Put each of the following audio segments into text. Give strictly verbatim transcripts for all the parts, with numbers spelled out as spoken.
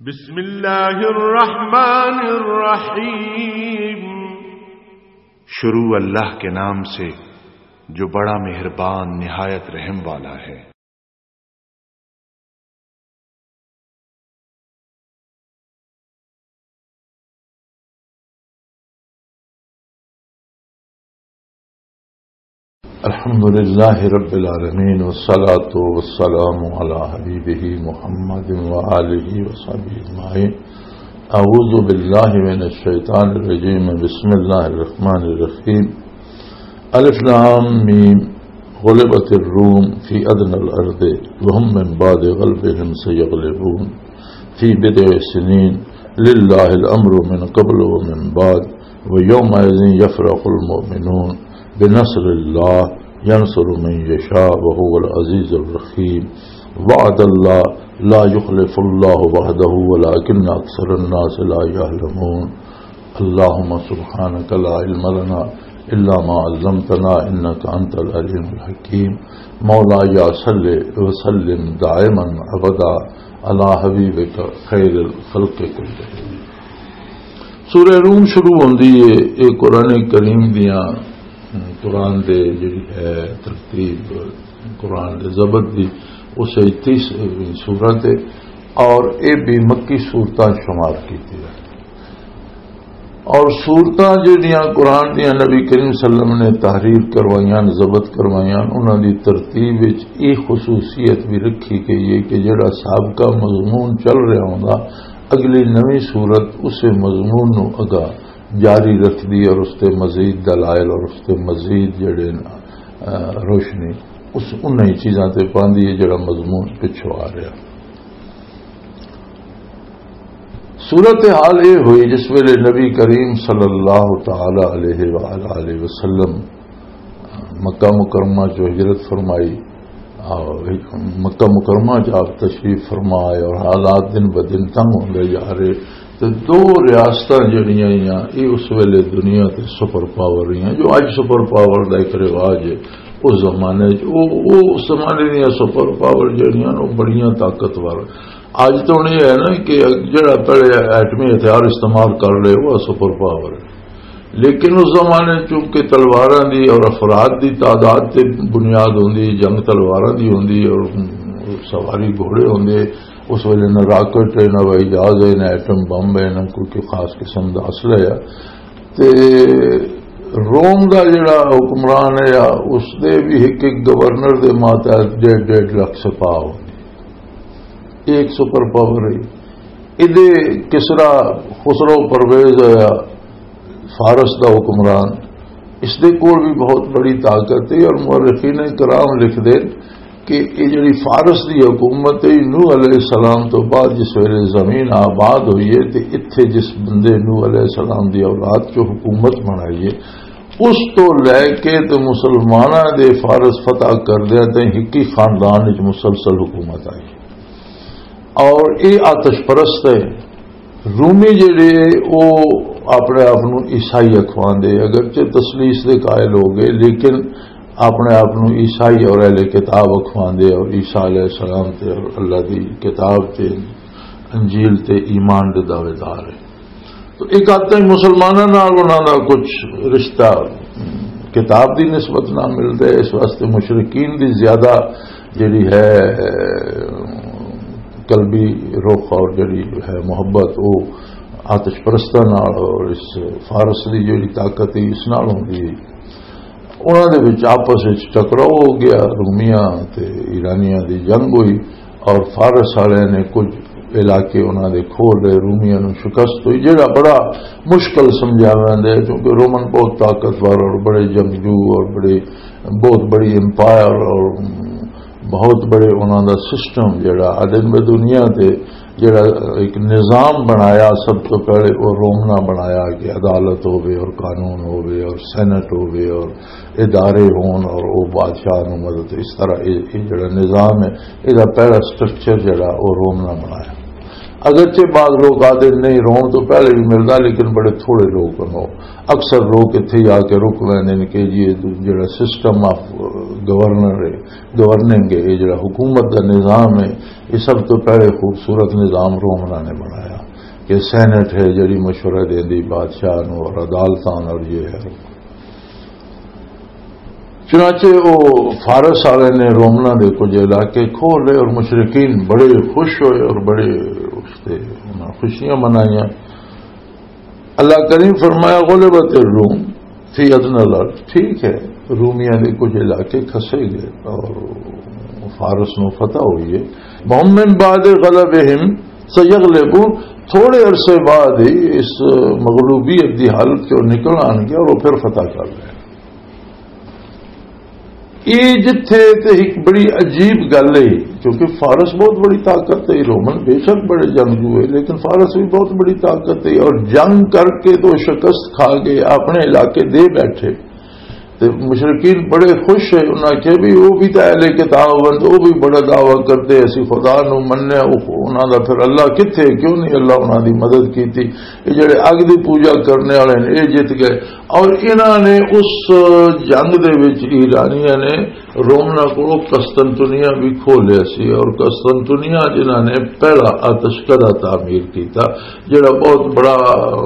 بسم اللہ الرحمن الرحیم۔ شروع اللہ کے نام سے جو بڑا مہربان نہایت رحم والا ہے۔ الحمد لله رب العالمين، والصلاة والسلام على حبيبه محمد وآله وصحبه أجمعين. أعوذ بالله من الشيطان الرجيم. بسم الله الرحمن الرحيم. الف لام ميم. غلبت الروم في أدنى الأرض وهم من بعد غلبهم سيغلبون في بضع سنين لله الأمر من قبل ومن بعد ويومئذ يفرح المؤمنون بنصر الله ينصر من يشاء وهو العزيز الرحيم. وعد الله لا يخلف الله وعده ولكن أكثر الناس لا يعلمون. اللهم سبحانك لا علم لنا إلا ما علمتنا إنك أنت العليم الحكيم. مولاي صل وسلم دائما أبدا على حبيبك خير الخلق كلهم. سورہ روم شروع ہوندی ہے۔ یہ قرآن کریم دیاں، قرآن دے جڑی ہے ترتیب، قرآن دے ضبط دی، اس وچ تیس سورت ہے اور یہ بھی مکی سورتاں شمار کیتی ہے۔ اور سورتاں جڑیاں قرآن دیاں نبی کریم صلی اللہ علیہ وسلم نے تحریر کروائیاں، ضبط کروائیاں، انہاں دی ترتیب وچ یہ خصوصیت بھی رکھی گئی ہے کہ جڑا سابقہ مضمون چل رہا ہوندا، اگلی نویں سورت اسے مضمون نو اگا جاری رکھدی اور اس تے مزید دلائل اور اس تے مزید جڑے نا، آ، روشنی اس انہی چیزاں تے پاندی ہے جڑا مضمون پچھوں آ رہا۔ صورتحال یہ ہوئی جس ویلے نبی کریم صلی اللہ تعالی علیہ وآلہ وسلم مکہ مکرمہ چ ہجرت فرمائی، اور مکہ مکرمہ چ آپ تشریف فرما آئے اور حالات دن بدن تنگ ہوندے جا رہے۔ تے دو ریاستاں جڑیاں آئیاں، یہ اس ویلے دنیا تے سپر پاور رہیاں، جو اج سپر پاور دا ایک رواج ہے۔ اس زمانے چ، وہ، وہ اس زمانے دیاں سپر پاور جڑیاں نا، وہ بڑیاں طاقتور۔ اج تو ہن یہ ہے نا کہ جڑا پہلے ایٹمی ہتھیار استعمال کر لے، وہ سپر پاور ہے۔ لیکن اس زمانے چونکہ تلواراں دی اور افراد دی تعداد تے بنیاد ہوندی، جنگ تلواراں دی ہوندی اور سواری گھوڑے ہوندے۔ اس ویلے نہ راکٹ ہے، نہ ہوائی جہاز ہے، نہ ایٹم بم ہے، نہ کوئی، کوئی خاص قسم دا اسلحہ ہے۔ تے روم دا جڑا حکمران ہے، اس دے بھی ایک ایک گورنر دے ماتحت ڈیڑھ ڈیڑھ لاکھ سپاہ ہوندے۔ ایک سپر پاور ہے۔ ادے کسرا خسرو پرویز ہویا، فارس دا حکمران، اس دے کول بھی بہت بڑی طاقت ہے۔ اور مورخین کرام لکھ دے کہ یہ جڑی فارس دی حکومت ہے، نوح علیہ السلام تو بعد جس ویلے زمین آباد ہوئی ہے تے اتھے جس بندے نوح علیہ السلام دی اولاد چوں حکومت بنائی ہے، اس تو لے کے تے مسلماناں دے فارس فتح کر دیا تے ہکی خاندان وچ مسلسل حکومت آئی۔ اور یہ آتش پرست ہے۔ رومی جڑے، وہ اپنے آپ نو عیسائی اکھواندے، اگرچہ تسلیس دے قائل ہو گئے، لیکن اپنے آپ نو عیسائی اور اہل کتاب اکھواندے اور عیسیٰ علیہ السلام تے اور اللہ دی کتاب تے، انجیل تے ایمان دے دعوے دار ہے۔ تو ایک آتا ہی مسلماناں نال انہاں دا کچھ رشتہ کتاب دی نسبت نہ ملدا ہے، اس واسطے مشرکین دی زیادہ جڑی ہے، قلبی رخ اور جڑی ہے محبت، وہ آتش پرستاں نال اور اس فارس دی جڑی طاقت ہے، اس نال ہوندی ہے۔ انہاں دے وچ آپس وچ ٹکراؤ ہو گیا، رومیاں تے ایرانیاں دی جنگ ہوئی اور فارس والے نے کچھ علاقے انہاں دے کھول لے، رومیاں نوں شکست ہوئی، جڑا بڑا مشکل سمجھا ویندا ہے، کیونکہ رومن بہت طاقتور اور بڑے جنگجو اور بڑے، بہت بڑی امپائر اور بہت بڑے انہاں دا سسٹم جڑا آدم دنیا تے جڑا ایک نظام بنایا، سب تو پہلے وہ رومنا بنایا کہ عدالت ہووے اور قانون ہووے اور سینٹ ہووے اور ادارے ہون اور وہ بادشاہ نوں مدد، اس طرح یہ، یہ جڑا نظام ہے، یہ پہلا سٹرکچر جڑا وہ رومنا بنایا۔ اگرچہ بعض لوگ آدھے نہیں، روم تو پہلے بھی ملتا، لیکن بڑے تھوڑے لوگ ہن۔ اکثر لوگ اتھے ہی آ کے رک لیندے نے کہ جی یہ جڑا سسٹم آف گورنر ہے، گورننگ ہے، یہ جڑا حکومت دا نظام ہے، یہ سب تو پہلے خوبصورت نظام رومنا نے بنایا کہ سینٹ ہے جڑی مشورہ دیندی بادشاہ نو اور عدالتاں نو اور یہ ہے۔ چنانچہ وہ فارس والے نے رومنا دے کچھ علاقے کھول لے اور مشرکین بڑے خوش ہوئے اور بڑے اس تے انہاں خوشیاں منائیاں۔ اللہ کریم فرمایا، "غلبت الروم فی ادنی الارض"، ٹھیک ہے، رومیاں دے کچھ علاقے کھسے گئے اور فارس نو فتح ہوئی ہے۔ "وَهُمْ مِنْ بَعْدِ غَلَبِهِمْ سَيَغْلِبُونَ"، تھوڑے عرصے بعد ہی اس مغلوبیت دی حالت چوں نکل آن گیا اور وہ پھر فتح کر لیا۔ یہ جتھے تے ایک بڑی عجیب گل ہے، کیونکہ فارس بہت بڑی طاقت ہے، رومن بے شک بڑے جنگجو ہے، لیکن فارس بھی بہت بڑی طاقت ہے، اور جنگ کر کے تو شکست کھا کے اپنے علاقے دے بیٹھے۔ تے مشرکین بڑے خوش ہے، انہاں کہ بھی وہ بھی تو اہل کتاب ہن، وہ بھی بڑا دعویٰ کرتے، اسی خدا نو مننے، وہ انہاں دا پھر اللہ کتھے، کیوں نہیں اللہ انہاں دی مدد کیتی؟ یہ جڑے اگ دی پوجا کرنے والے نے، یہ جت گئے۔ اور انہاں نے اس جنگ دے وچ ایرانیاں نے رومنا کو قسطنطنیہ بھی کھولیا سی، اور قسطنطنیہ جنہاں نے پہلا آتش کدہ تعمیر کیتا، جڑا بہت بڑا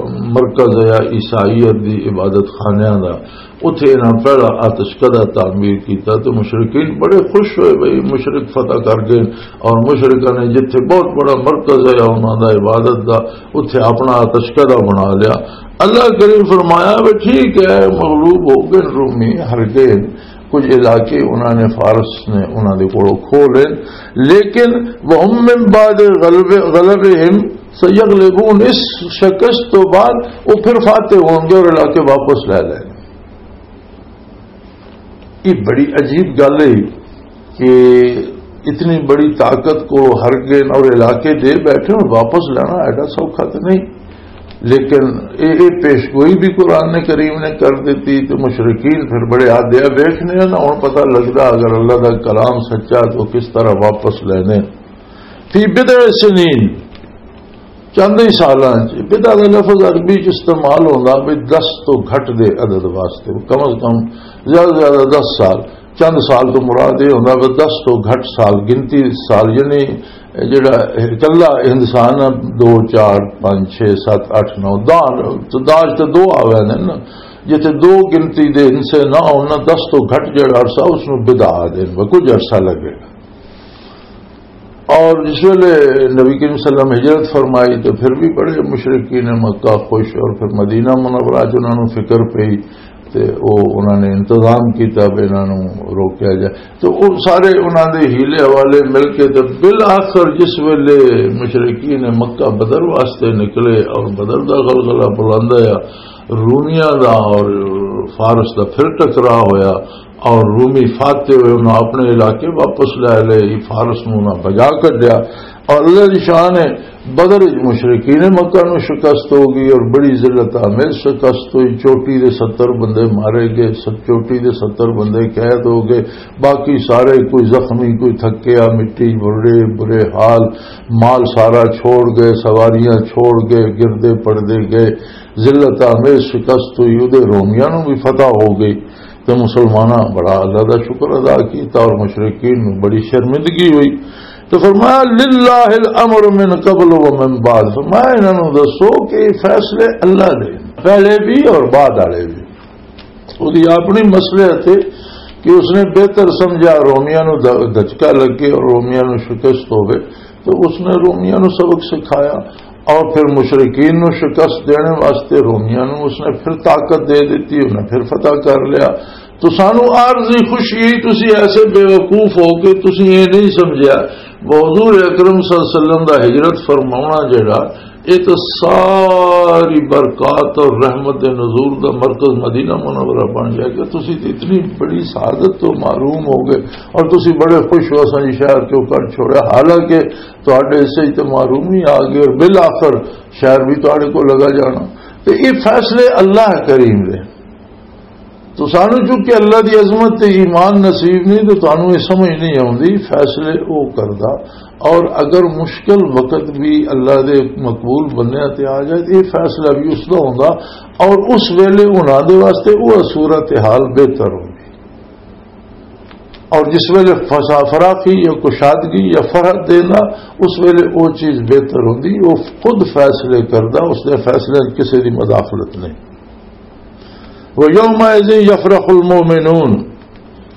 مرکز ہے عیسائیت دی عبادت خانیاں دا، اتھے انہاں پہلا آتش کدہ تعمیر کیتا۔ تو مشرکین بڑے خوش ہوئے بھئی مشرک فتح کر گئے، اور مشرکاں نے جتھے بہت بڑا مرکز ہے انہاں دا عبادت دا، اتھے اپنا آتش کدہ بنا لیا۔ اللہ کریم فرمایا، "وہ ٹھیک ہے، مغلوب ہو گئے رومی، ہر گئے، کچھ علاقے انہاں نے، فارس نے انہاں دے کولوں کھو لے، لیکن وَهُمْ مِنْ بَعْدِ غَلَبِ- غَلَبِهِمْ سَيَغْلِبُونَ"، اس شکست تو بعد وہ پھر فاتح ہون گے اور علاقے واپس لے لیں گے۔ یہ بڑی عجیب گل ہے کہ اتنی بڑی طاقت کو ہر گن اور علاقے دے بیٹھے اور واپس لینا ایڈا سوکھا تو نہیں۔ لیکن یہ پیش گوئی بھی قرآن نے کریم نے کر دیتی، تو مشرکین پھر بڑے آدھے ویکھنے ہیں نا، ہن پتہ لگدا اگر اللہ دا کلام سچا تو کس طرح واپس لینے۔ فی بضع سنین، چند ہی سالاں چ، بضع دا لفظ عربی چ استعمال ہوندا بھی دس تو گھٹ دے عدد واسطے، کم از کم زیادہ زیادہ دس سال۔ چند سال تو مراد یہ ہوندا بھی دس تو گھٹ سال، گنتی سال، یعنی جڑا اکلا انسان ہے، دو، چار، پانچ، چھ، ست، اٹھ، نو، داج تو دو آوے نے نا، جتھے دو گنتی دے حصے نہ ہونا، دس تو گھٹ جڑا عرصہ اس نو بدا دین، وہ کچھ عرصہ لگے گا۔ اور جس ویلے نبی کریم صلی اللہ علیہ وسلم ہجرت فرمائی تو پھر بھی بڑے مشرکین مکہ خوش، اور پھر مدینہ منورہ چ انہاں نوں فکر پئی تے او انہاں نے انتظام کیتا بھی انہاں نوں روکیا جائے۔ تو وہ سارے انہاں دے حیلے حوالے مل کے تے بالآخر جس ویلے مشرکین مکہ بدر واسطے نکلے اور بدر دا غلغلہ بلند آیا، رومیاں دا اور فارس دا پھر ٹکراء ہویا، اور رومی فاتح ہوئے، انہاں اپنے علاقے واپس لے لے، فارس نوں انہاں بجا کڈیا۔ اور اللہ دی شان ہے، بدر وچ مشرکین مکہ نوں شکست ہو گئی اور بڑی ذلت آمیز شکست ہوئی۔ چوٹی دے ستر بندے مارے گئے، ست-، چوٹی دے ستر بندے قید ہو گئے، باقی سارے کوئی زخمی، کوئی تھکیا، مٹی برے برے حال، مال سارا چھوڑ گئے، سواریاں چھوڑ گئے، گردے پڑدے گئے، ذلت آمیز شکست ہوئی، ادھے رومیاں نوں بھی فتح ہو گئی۔ تے مسلماناں بڑا اللہ دا شکر ادا کیتا اور مشرکین نوں بڑی شرمندگی ہوئی۔ تو فرمایا، "للہ الامر من قبل و من بعد"، فرمایا، "انہاں نوں دسو کہ یہ فیصلے اللہ دے، پہلے بھی اور بعد والے بھی۔" وہ دی اپنی مصلحت ہے کہ اس نے بہتر سمجھا رومیاں نوں د-، دھچکا لگے اور رومیاں نوں شکست ہوے، تو اس نے رومیاں نوں سبق سکھایا۔ اور پھر مشرکین نوں شکست دینے واسطے رومیاں نوں اس نے پھر طاقت دے دیتی، انہیں پھر فتح کر لیا۔ تو سانو عارضی خوشی ہے، تسی ایسے بے وقوف ہو کہ تسی یہ نہیں سمجھا۔ حضور اکرم صلی اللہ علیہ وسلم دا ہجرت فرماونا جڑا، یہ تو ساری برکات اور رحمت نزول دا مرکز مدینہ منورہ بن گیا کہ تسی تے اتنی بڑی سعادت تو محروم ہو گئے اور تسی بڑے خوش ہو، اساں جی شہر چوکر چھوڑیا، حالانکہ تہاڈے حصے تے محرومی آ گئی اور بالآخر شہر بھی تہاڈے کو لگا جانا۔ تے یہ فیصلے اللہ کریم دے۔ تو سانو چونکہ اللہ دی عظمت تے ایمان نصیب نہیں، تو تانوں یہ سمجھ نہیں آوندی، فیصلے او کردا۔ اور اگر مشکل وقت بھی اللہ دے مقبول بندیاں تے آ جائے، تو یہ فیصلہ بھی اس دا ہوندا، اور اس ویلے انہاں دے واسطے وہ صورتحال بہتر ہوندی۔ اور جس ویلے فسا-، فراخی یا کشادگی یا فرحت دینا، اس ویلے وہ چیز بہتر ہوندی، وہ خود فیصلے کردا، اس دے فیصلے وچ کسے دی مداخلت نہیں۔ وَيَوْمَئِذٍ يَفْرَحُ الْمُؤْمِنُونَ،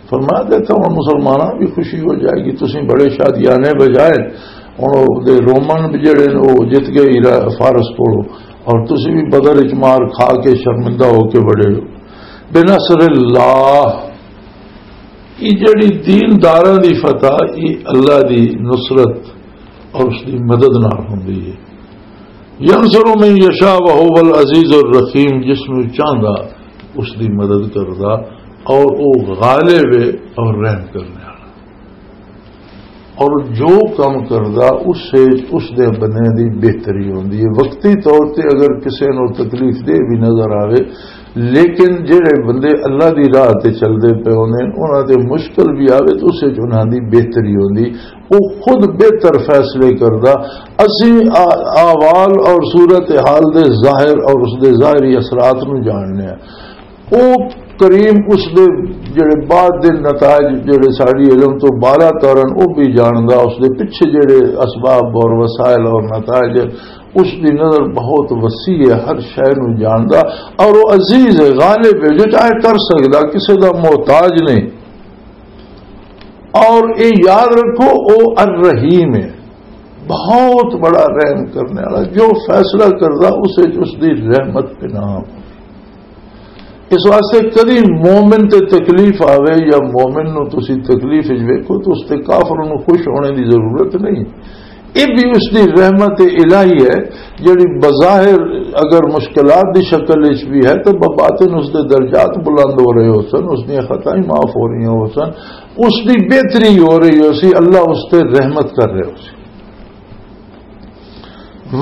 فرمایا، دیکھو، ہن مسلماناں بھی خوشی ہو جائے گی، تسیں بڑے شادیانے بجائے ہن او دے رومن بھی جڑے نے، او جت گئے ایرا-، فارس کولوں، اور تسیں بھی بدر وچ مار کھا کے شرمندہ ہو کے بڑے ہو۔ بنصر اللہ، یہ جڑی دینداراں دی فتح، یہ اللہ دی نصرت اور اس دی مدد نال ہوندی ہے۔ ینصر من یشاء وہو العزیز الرحیم، جس نوں چاہندا اس دی مدد کردا، اور او غالب ہے اور رحم کرنے والا۔ اور جو کم کردا، اس سے، اس دے بندے دی بہتری ہوندی ہے۔ وقتی طور تے اگر کسے نوں تکلیف دے بھی نظر آوے، لیکن جڑے بندے اللہ دی راہ تے چلدے پے ہوندے نے، انہاں تے مشکل بھی آوے تو اس وچ انہاں دی بہتری ہوندی۔ وہ خود بہتر فیصلے کردا۔ اسی آ-، احوال اور صورت حال دے ظاہر اور اس دے ظاہری اثرات نوں جاننے ہیں۔ او کریم اس دے جڑے بعد دے نتائج جڑے ساڈی علم تو بالا تر ہن، او بھی جاندا، اس دے پچھے جڑے اسباب اور وسائل اور نتائج ہن، اس دی نظر بہت وسیع ہے، ہر شے نوں جاندا، اور او عزیز ہے، غالب ہے، جو چاہے کر سکدا، کسے دا محتاج نہیں۔ اور اے یاد رکھو، او الرحیم ہے، بہت بڑا رحم کرنے والا، جو فیصلہ کردا، اس وچ اس دی رحمت پہ نام۔ اس واسطے کدی مومن تے تکلیف آوے یا مومن نو تسی تکلیف وچ ویکھو تو اس تے کافر نو خوش ہونے دی ضرورت نہیں۔ یہ بھی اس دی رحمت الہی ہے، جڑی بظاہر اگر مشکلات دی شکل وچ بھی ہے تو بباطن اس دے درجات بلند ہو رہے ہو سن، اس دیاں خطائیں معاف ہو رہی ہو سن، اس دی بہتری ہو رہی ہو سی، اللہ اس تے رحمت کر رہے ہو سی۔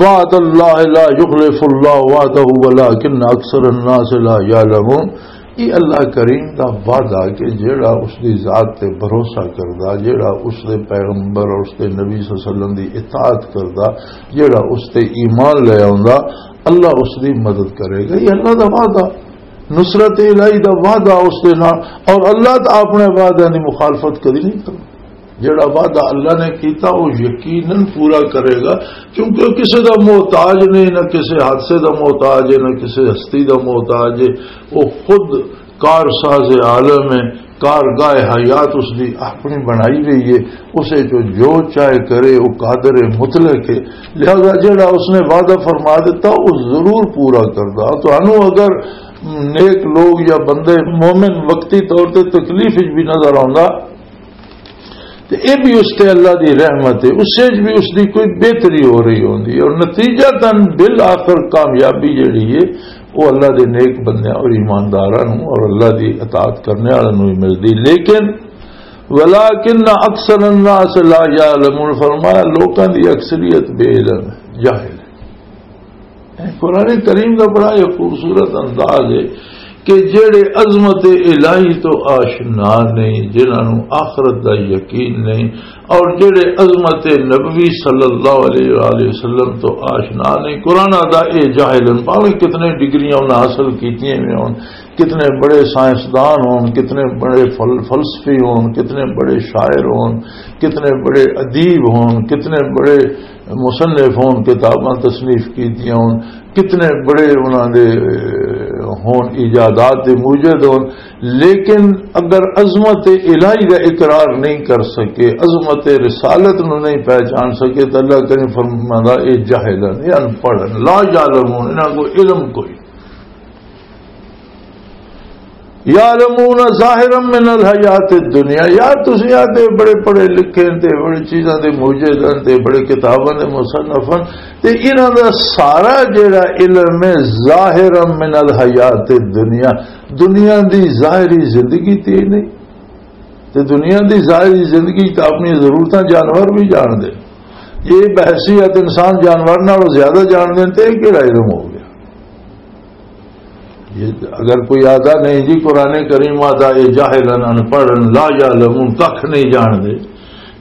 وعد اللہ لا یخلف اللہ وعدہ ولکن اکثر الناس لا یعلمون۔ یہ اللہ کریم دا وعدہ کہ جیڑا اس دی ذات تے بھروسہ کردا، جیڑا اس دے پیغمبر اور اس دے نبی صلی اللہ علیہ وسلم دی اطاعت کردا، جیڑا اس تے ایمان لے آوندا، اللہ اس دی مدد کرے گا۔ یہ اللہ دا وعدہ، نصرت الہی دا وعدہ اس دے نال، اور اللہ تا اپنے وعدے دی مخالفت کدی نہیں کردا۔ جڑا وعدہ اللہ نے کیتا، وہ یقیناً پورا کرے گا، کیونکہ وہ کسی دا محتاج نہیں، نہ کسی حادثے دا محتاج ہے، نہ کسی ہستی دا محتاج ہے۔ وہ خود کارساز عالم ہے، کارگاہ حیات اس دی اپنی بنائی گئی ہے، اسے جو جو چاہے کرے، وہ قادر مطلق ہے۔ لہذا جڑا اس نے وعدہ فرما دیتا، وہ ضرور پورا کردا۔ تو ہنو اگر نیک لوگ یا بندے مومن وقتی طور تے تکلیف وچ بھی نظر آوندا، تے اے بھی اس تے اللہ دی رحمت ہے، اس وچ بھی اس دی کوئی بہتری ہو رہی ہوندی ہے، اور نتیجہ تن بالآخر کامیابی جڑی ہے، وہ اللہ دے نیک بندیاں اور ایمانداراں نوں اور اللہ دی اطاعت کرنے والوں نوں ہی ملدی۔ لیکن ولکن اکثر الناس لا یعلمون، فرمایا، لوکاں دی اکثریت بے علم ہے، جاہل ہے۔ قرآن کریم کا بڑا یہ خوبصورت انداز ہے کہ جڑے عظمت الہی تو آشنا نہیں، جنہاں نوں آخرت دا یقین نہیں، اور جڑے عظمت نبوی صلی اللہ علیہ وآلہ وسلم تو آشنا نہیں، قرآن دا اے جاہل ہیں، پاویں کتنے ڈگریاں انہاں حاصل کیتیاں ہوئے ہون، کتنے بڑے سائنسدان ہون، کتنے بڑے فل-، فلسفی ہون، کتنے بڑے شاعر ہون، کتنے بڑے ادیب ہون، کتنے بڑے مصنف ہون، کتاباں تصنیف کیتیاں ہون، کتنے بڑے انہاں دے ہون، ایجادات دے موجد ہون، لیکن اگر عظمت الہی دا اقرار نہیں کر سکے، عظمت رسالت نو نہیں پہچان سکے، تو اللہ کریم فرماندا، اے جاہل ہیں، اے ان پڑھ ہیں، لا یعلمون، انہاں کو علم کوئی۔ یعلمون ظاہرا من الحیات الدنیا، یار تسی آتے بڑے پڑھے لکھے تے بڑے چیزاں دے موجد ہیں تے بڑے کتاباں دے مصنف ہیں، تے انہاں دا سارا جڑا علم ہے ظاہرا من الحیات الدنیا، دنیا دی ظاہری زندگی تے ہی نہیں۔ تے دنیا دی ظاہری زندگی تے اپنی ضرورتاں جانور بھی جان دے۔ یہ بحیثیت انسان جانور نالوں زیادہ جان دے تے یہ کیڑا علم ہو گیا؟ یہ اگر کوئی آدھا نہیں جی قرآن کریم آدھا یہ جاہل ہیں، ان پڑھ ہیں، لا یعلمون، ککھ نہیں جان دے،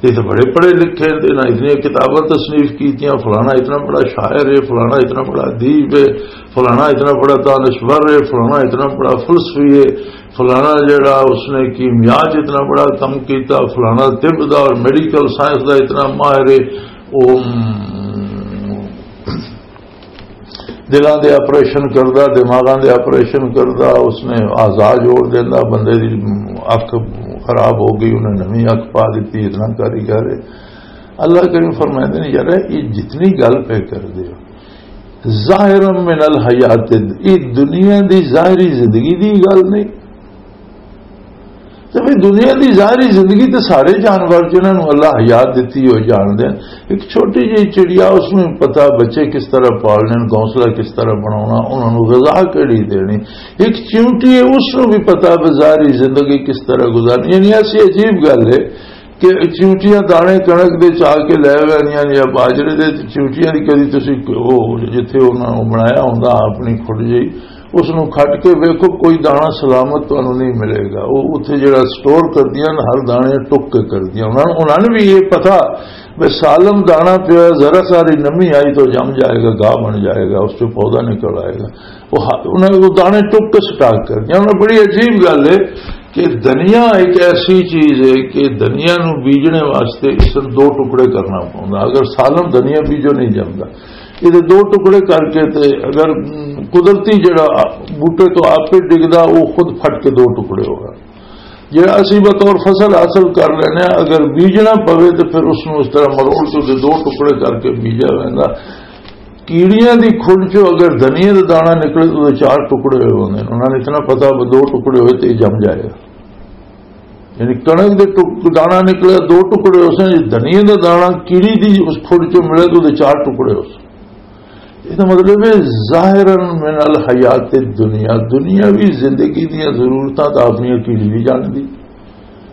تے تے بڑے پڑھے لکھے تے نہ اتنی کتاباں تصنیف کیتیاں، فلانا اتنا بڑا شاعر ہے، فلانا اتنا بڑا ادیب ہے، فلانا اتنا بڑا دانشور ہے، فلانا اتنا بڑا فلسفی ہے، فلانا جڑا اس نے کیمیا چ اتنا بڑا کم کیتا، فلانا طب دا اور میڈیکل سائنس دا اتنا ماہر ہے۔ او دلاں دے آپریشن کردا، دماغاں دے آپریشن کردا، اس نے اعضاء جوڑ دیندا، بندے دی اکھ خراب ہو گئی، انہیں نویں اکھ پا دتی، اتنا کاریگر ہے۔ اللہ کریم فرمائندے نے، یار، یہ جتنی گل پہ کر دے ہو، ظاہر من الحیات، یہ دنیا دی ظاہری زندگی دی گل نہیں۔ تے بھئی، دنیا دی ظاہری زندگی تے سارے جانور جنہاں نوں اللہ حیات دتی ہوئی جان دے۔ ایک چھوٹی جہی چڑیا، اس نوں پتہ بچے کس طرح پالنے، گھونسلہ کس طرح بناونا، انہاں نوں غذا کیڑی دینی۔ ایک چیونٹی ہے، اس نوں بھی پتہ بھی ظاہری زندگی کس طرح گزارنی۔ یعنی ایسی عجیب گل ہے کہ چیونٹیاں دانے کنک دے چا کے لے ویندیاں نے یا باجرے دے، تے چیونٹیاں دی کدی تسی او جتھے انہاں نوں بنایا ہوندا اپنی کھڈ جہی، اس نوں کھٹ کے ویکھو، کوئی دانا سلامت تانوں نہیں ملے گا۔ وہ اتھے جڑا سٹور کردیاں نا، ہر دانے ٹک کے کردیاں۔ انہاں، انہاں نے بھی یہ پتا بھی سالم دانا پیا، ذرا ساری نمی آئی تو جم جائے گا، گاہ بن جائے گا، اس سے پودا نکل آئے گا۔ وہ ہ-، انہاں نے وہ دانے ٹک کے سٹاک کردیاں۔ انہاں نے بڑی عجیب گل ہے کہ دنیا ایک ایسی چیز ہے کہ دنیا نو بیجنے واسطے اس نوں دو ٹکڑے کرنا پوندا۔ اگر سالم دنیا بیجو نہیں جمدا، یہ دو ٹکڑے کر کے تے اگر، م، قدرتی جڑا بوٹے تو آپ ہی ڈگدا، وہ خود پھٹ کے دو ٹکڑے ہوگا۔ جڑا اسی بطور فصل حاصل کر لینے، اگر بیجنا پوے تو پھر اس نوں اس طرح مروڑ کے تے دو ٹکڑے کر کے بیجا ویندا۔ کیڑیاں دی کھل چوں اگر دھنیے دا دانا نکلے تو چار ٹکڑے ہوئے ہوندے نے۔ انہاں نے اتنا پتا وہ دو ٹکڑے ہوئے تے جم جائے گا۔ یعنی کنک دے ٹک-، دانا نکلے، دو ٹکڑے ہو سن، جے دھنیے دا دانا کیڑی دی اس کھڑ چوں ملے تو دے چار ٹکڑے ہو سن۔ یہ تو مطلب ہے، ظاہراً من الحیات الدنیا، دنیاوی زندگی دیاں ضرورتاں تو اپنی کیڑی بھی جان دی،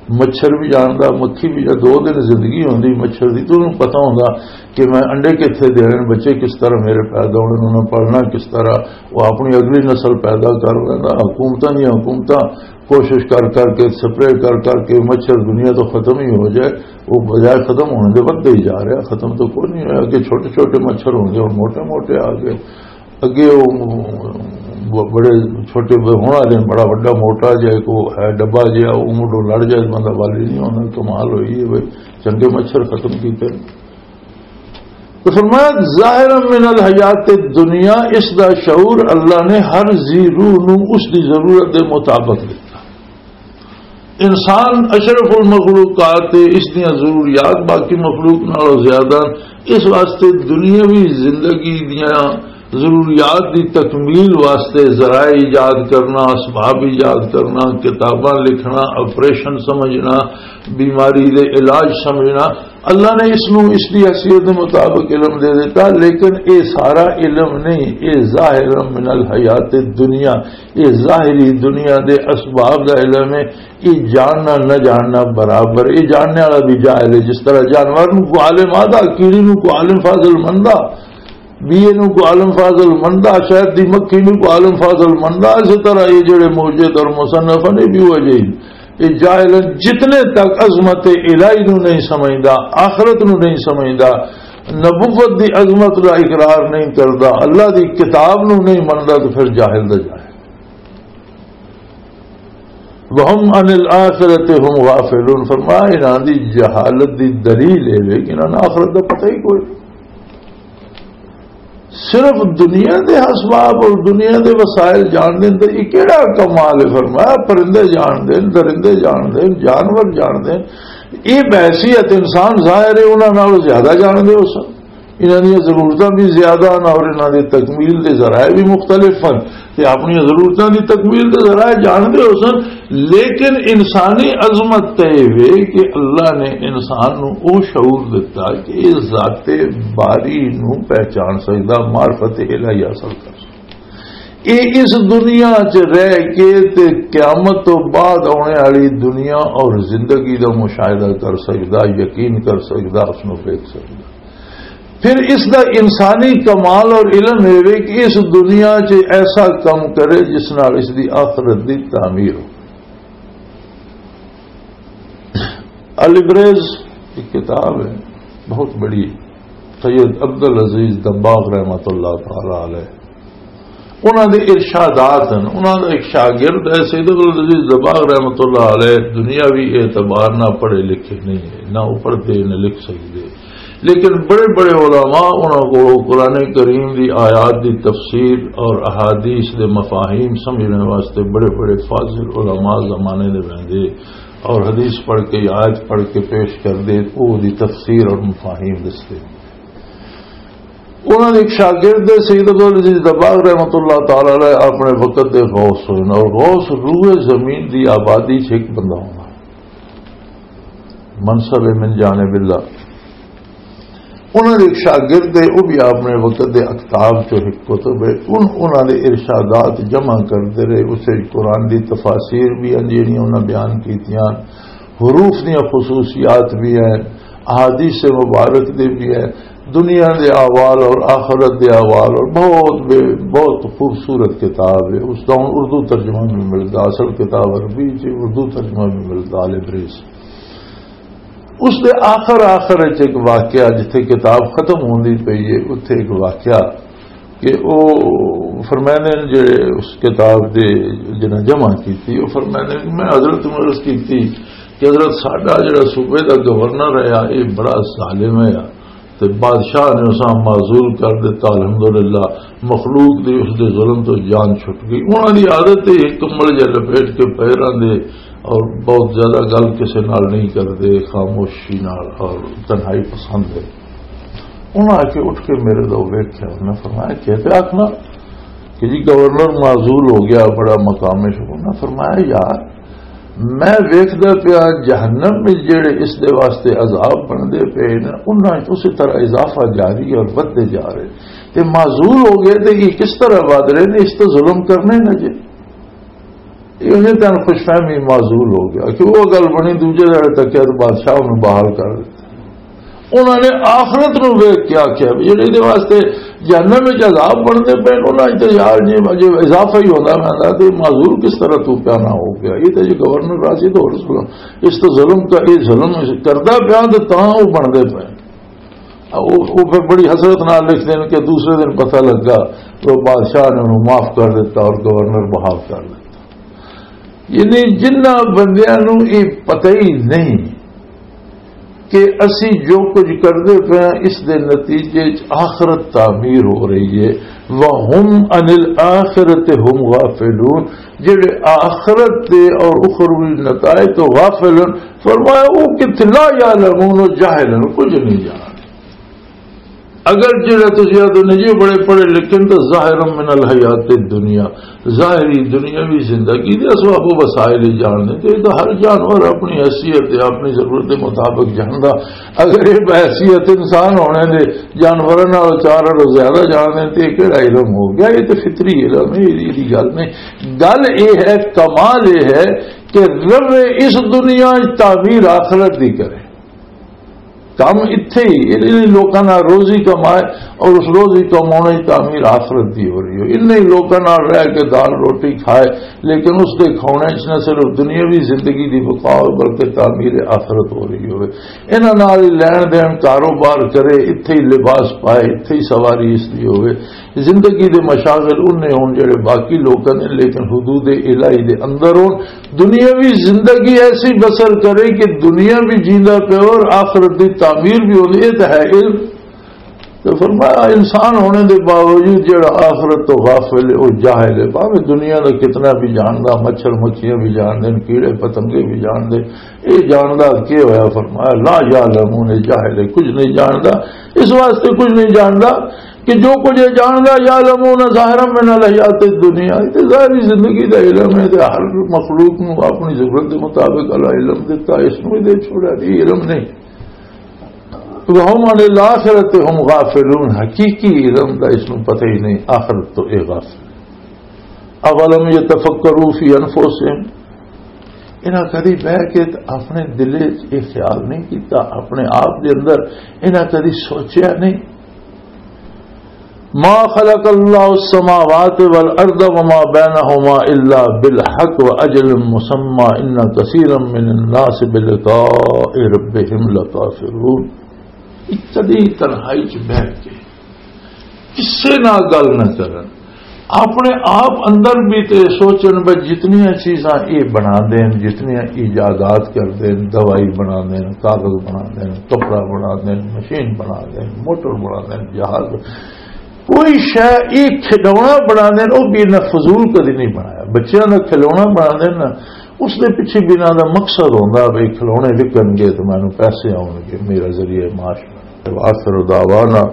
مچھر بھی جاندا، مکھی بھی۔ جے دو دن زندگی ہوندی مچھر دی تو انہوں پتہ ہوندا کہ میں انڈے کتھے دینے، بچے کس طرح میرے پیدا ہونے، انہاں پالنا کس طرح، وہ اپنی اگلی نسل پیدا کر لینا۔ حکومتاں دیاں حکومتاں کوشش کر کر کے، سپرے کر کر کے مچھر دنیا تو ختم ہی ہو جائے، وہ بجائے ختم ہونے دے ودھے ہی جا رہا، ختم تو کوئی نہیں ہویا۔ اگے چھوٹے چھوٹے مچھر ہوں گے، ہن موٹے موٹے آ گئے۔ اگے وہ ب-، بڑے چھوٹے ب-، ہونا دے بڑا وڈا موٹا جہا ایک وہ ہے ڈبا جہا، وہ مڈو لڑ جائے بندہ والی نہیں ہونا۔ کمال ہوئی ہے بھائی، چنگے مچھر ختم کیتے۔ تو فرمایا، ظاہر من الحیات الدنیا، اس دا شعور اللہ نے ہر ذی روح نو اس دی ضرورت دے مطابق دتا۔ انسان اشرف المخلوقات تے، اس دیاں ضروریات باقی مخلوق نالوں زیادہ، اس واسطے دنیاوی زندگی دیاں ضروریات دی تکمیل واسطے ذرائع ایجاد کرنا، اسباب ایجاد کرنا، کتاباں لکھنا، آپریشن سمجھنا، بیماری دے علاج سمجھنا، اللہ نے اس نو اس دی حیثیت دے مطابق علم دے دیتا، لیکن اے سارا علم نہیں، اے ظاہر من الحیات دنیا، اے ظاہری دنیا دے اسباب دا علم ہے۔ اے جاننا نہ جاننا برابر، اے جاننے والا بھی جاہل ہے۔ جس طرح جانور نو کو عالم آدھا، کیڑی نو کو عالم فاضل مندا، بیے نو کو عالم فاضل مندا، شہد دی مکھی نو کو عالم فاضل مندا، اسی طرح یہ جڑے موجد اور مصنف نے بھی وہ جاہل۔ یہ جاہل ہیں، جتنے تک عظمت الہی نو نہیں سمجھدا، آخرت نو نہیں سمجھدا، نبوت دی عظمت دا اقرار نہیں کردا، اللہ دی کتاب نو نہیں مندا، تو پھر جاہل دا جاہل۔ وَهُمْ عَنِ الْآخِرَةِ هُمْ غَافِلُونَ۔ فرمایا، انہاں دی جہالت دی دلیل اے وے کہ انہاں نوں آخرت دا پتہ ہی کوئی نہیں۔ صرف دنیا دے اسباب اور دنیا دے وسائل جان دے، تے یہ کیڑا کمال ہے؟ فرمایا، پرندے جان دے، درندے جان دے، جانور جان دے۔ یہ بحیثیت انسان ظاہر ہے، انہاں نالوں زیادہ جان دے ہو سن۔ انہاں دیاں ضرورتاں بھی زیادہ ہن اور انہاں دی تکمیل دے ذرائع بھی مختلف ہن، تے اپنی ضرورتاں دی تکمیل دے ذرائع جاندے ہو سن، لیکن انسانی عظمت تے اے وے کہ اللہ نے انسان نو او شعور دتا کہ اے ذات باری نو پہچان سکدا، معرفت الہی حاصل کر سکدا۔ اے اس دنیا چ رہ کے تے قیامت تو بعد آنے والی دنیا اور زندگی دا مشاہدہ کر سکدا، یقین کر سکدا، اس نو دیکھ سکدا۔ پھر اس دا انسانی کمال اور علم اے وے کہ اس دنیا چ ایسا کم کرے جس نال اس دی آخرت دی تعمیر ہو۔ الابریز ایک کتاب ہے، بہت بڑی، سید عبد العزیز دباغ رحمۃ اللہ تعالی علیہ، انہاں دے ارشادات ہیں۔ انہاں دا ایک شاگرد ہے سید عبد العزیز دباغ رحمۃ اللہ علیہ، دنیاوی اعتبار نہ پڑھے لکھے نہیں ہے، نہ وہ پڑھتے نہ لکھ سکتے، لیکن بڑے بڑے علماء انہاں کو قرآن کریم دی آیات دی تفسیر اور احادیث دے مفاہیم سمجھنے واسطے بڑے بڑے فاضل علماء زمانے دے ویندے اور حدیث پڑھ کے، آیت پڑھ کے پیش کر دے، او دی تفسیر اور مفاہیم دستے۔ انہاں دے ایک شاگرد دے سید عبدالعزیز دباغ رحمۃ اللہ تعالی علیہ اپنے وقت دے غوث ہوئے اور غوث روئے زمین دی آبادی چ ایک بندہ ہونا، منصب من جانب اللہ۔ انہاں دے ایک شاگرد دے، وہ بھی اپنے وقت دے اقتاب چو ایک کتب ہے، ان انہاں دے ارشادات جمع کردے رہے۔ اسے قرآن دی تفاسیر بھی ہیں جڑیاں انہاں بیان کیتیاں، حروف دیاں خصوصیات بھی ہیں، احادیث مبارک دے بھی ہیں، دنیا دے احوال اور آخرت دے احوال اور بہت بے، بہت خوبصورت کتاب ہے۔ اس دا ہن اردو ترجمہ بھی ملدا، اصل کتاب عربی چ، اردو ترجمہ بھی ملدا، آل عبریز۔ اس دے آخر آخر وچ ایک واقعہ، جتھے کتاب ختم ہوندی پئی ہے، اتھے ایک واقعہ کہ او فرماندے نے جڑے اس کتاب دے جنہاں جمع کیتی، او فرماندے نے کہ میں حضرت نوں عرض کیتی کہ حضرت، ساڈا جڑا صوبے دا گورنر ہے، یہ بڑا ظالم ہے، تے بادشاہ نے اساں معزول کر دتا، الحمدللہ، مخلوق دی اس دے ظلم تو جان چھٹ گئی۔ انہاں دی عادت ہے ہک کمبل جہا لپیٹ کے پیراں دے، اور بہت زیادہ گل کسے نال نہیں کردے، خاموشی نال اور تنہائی پسند ہے۔ انہاں آ کے اٹھ کے میرے دو ویکھیا، انہاں نے فرمایا، "کیا پیا آکھنا؟" کہ جی گورنر معزول ہو گیا، بڑا مقام ہے۔ انہاں فرمایا، یار، میں ویکھدا پیا جہنم وچ جڑے اس دے واسطے عذاب بندے پے نے، انہاں وچ اسی طرح اضافہ جاری ہے اور ودھدے جا رہے، تے معزول ہو گئے تے یہ کس طرح ود رہے نے؟ اس تے ظلم کرنے نے جے۔ یہ انہیں تن خوش فہمی معزول ہو گیا کہ وہ گل بنی، دوجے دہاڑے تک کیا تو بادشاہ انہوں بحال کر دیتا۔ انہوں نے آخرت نو ویکھ کے آکھیا بھی جڑے دے واسطے جہنم وچ عذاب بننے پے، انہاں وچ تے یار جی اجے اضافہ ہی ہوندا رہندا، تے معذور کس طرح تو پیا نہ ہو گیا؟ یہ تے جی گورنر راشد ہو رسول، اس تے ظلم کا، یہ ظلم کردا پیا تے تاں وہ بندے پے۔ وہ پھر بڑی حسرت نال لکھ دین کہ دوسرے دن پتہ لگا تو بادشاہ نے انہوں معاف کر دیتا اور گورنر بحال کر دیتا۔ یعنی جنہ بندیاں نوں یہ پتہ ہی نہیں کہ اسی جو کچھ کردے پے ہاں، اس دے نتیجے چ آخرت تعمیر ہو رہی ہے۔ وَهُمْ عَنِ الْآخِرَةِ هُمْ غَافِلُونَ، جڑے آخرت دے اور اخروی نتائج تو غافل ہیں، فرمایا، وہ کتھے؟ لَا يَعْلَمُونَ، جاہل ہیں، کچھ نہیں جانتے۔ اگر جڑا تسی آدھے نے جی بڑے پڑھے لکھے نے، تو ظاہر من الحیات الدنیا، ظاہری دنیاوی زندگی دے اسباب و وسائل ہی جاننے، تو یہ تو ہر جانور اپنی حیثیت تے اپنی ضرورت دے مطابق جاندا۔ اگر یہ بحیثیت انسان ہونے دے جانوراں نال چار اور زیادہ جاننے، تو یہ کہڑا علم ہو گیا؟ یہ تو فطری علم ہے، یہ گل نہیں۔ گل یہ ہے، کمال یہ ہے کہ روے اس دنیا وچ تعمیر آخرت دی کرے۔ کم اتھے ہی انہی لوکاں نال روزی کمائے اور اس روزی کمانے کی تعمیر آخرت دی ہو رہی ہو۔ انہی لوکاں نال رہ کے دال روٹی کھائے، لیکن اس دے کھانے چ نہ صرف دنیاوی زندگی دی بقا ہو، بلکہ تعمیر آخرت ہو رہی ہوئے۔ انہاں نال ہی لین دین، کاروبار کرے، اتھے ہی لباس پائے، اتھے ہی سواری اس دی ہوئے۔ زندگی دے مشاغل انہیں ہون جڑے باقی لوکاں نے، لیکن حدود الہی دے اندر ہون۔ دنیاوی زندگی ایسی بسر کرے کہ دنیا بھی جیندا پیا اور آخرت دی تعمیر بھی ہوندی۔ یہ تو ہے علم۔ تو فرمایا، انسان ہونے دے باوجود جڑا آخرت تو غافل ہے، وہ جاہل ہے۔ بھاویں دنیا دا کتنا بھی جاندا، مچھر مکھیاں بھی جاندے، کیڑے پتنگے بھی جاندے، یہ جاندا کی ہویا؟ فرمایا، لا یعلمون، جاہل ہے، کچھ نہیں جاندا۔ اس واسطے کچھ نہیں جاندا کہ جو کچھ یہ جاندا، یعلمون ظاہرا من الحیات الدنیا، یہ ظاہری زندگی دا علم ہے، تے ہر مخلوق نو اپنی ضرورت دے مطابق اللہ علم دیتا، اس نو ہی دے چھوڑا، یہ علم نہیں۔ وَهُمْ عَنِ الْآخِرَةِ هُمْ غَافِلُونَ، حقیقی علم دا اس نو پتہ ہی نہیں، آخرت تو اے غافل۔ اولم یتفکروا فی انفسہم، انہاں کدی بہ کے تے اپنے دل وچ یہ خیال نہیں کیتا، اپنے آپ دے اندر انہاں کدی سوچیا نہیں؟ ما خلق الله السماوات والأرض وما بينهما إلا بالحق وأجل مسمى إن كثيرا من الناس بلقاء ربهم لكافرون۔ اتنی تنہائی چ بیٹھ کے کسے نال گل نہ کرن، اپنے آپ اندر بھی تے سوچن بھی جتنیاں چیزاں یہ بنا دین، جتنیاں ایجادات کر دین، دوائی بنا دین، کاغذ بنا دین، کپڑا بنا دین، مشین بنا دین، موٹر بنا دین، جہاز، کوئی شے یہ کھلونا بنا دین، وہ بھی انہاں فضول کدی نہیں بنایا۔ بچیاں دا کھلونا بنا دین نا، اس دے پیچھے بھی انہاں دا مقصد ہوندا بھی کھلونے وکن گے تو مینوں پیسے آؤن گے، میرا ذریعہ معاش بنے۔ وآخر دعوانا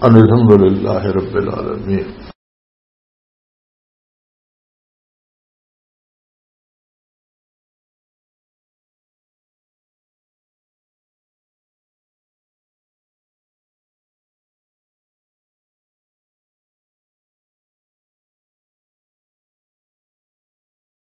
ان الحمد للہ رب العالمین۔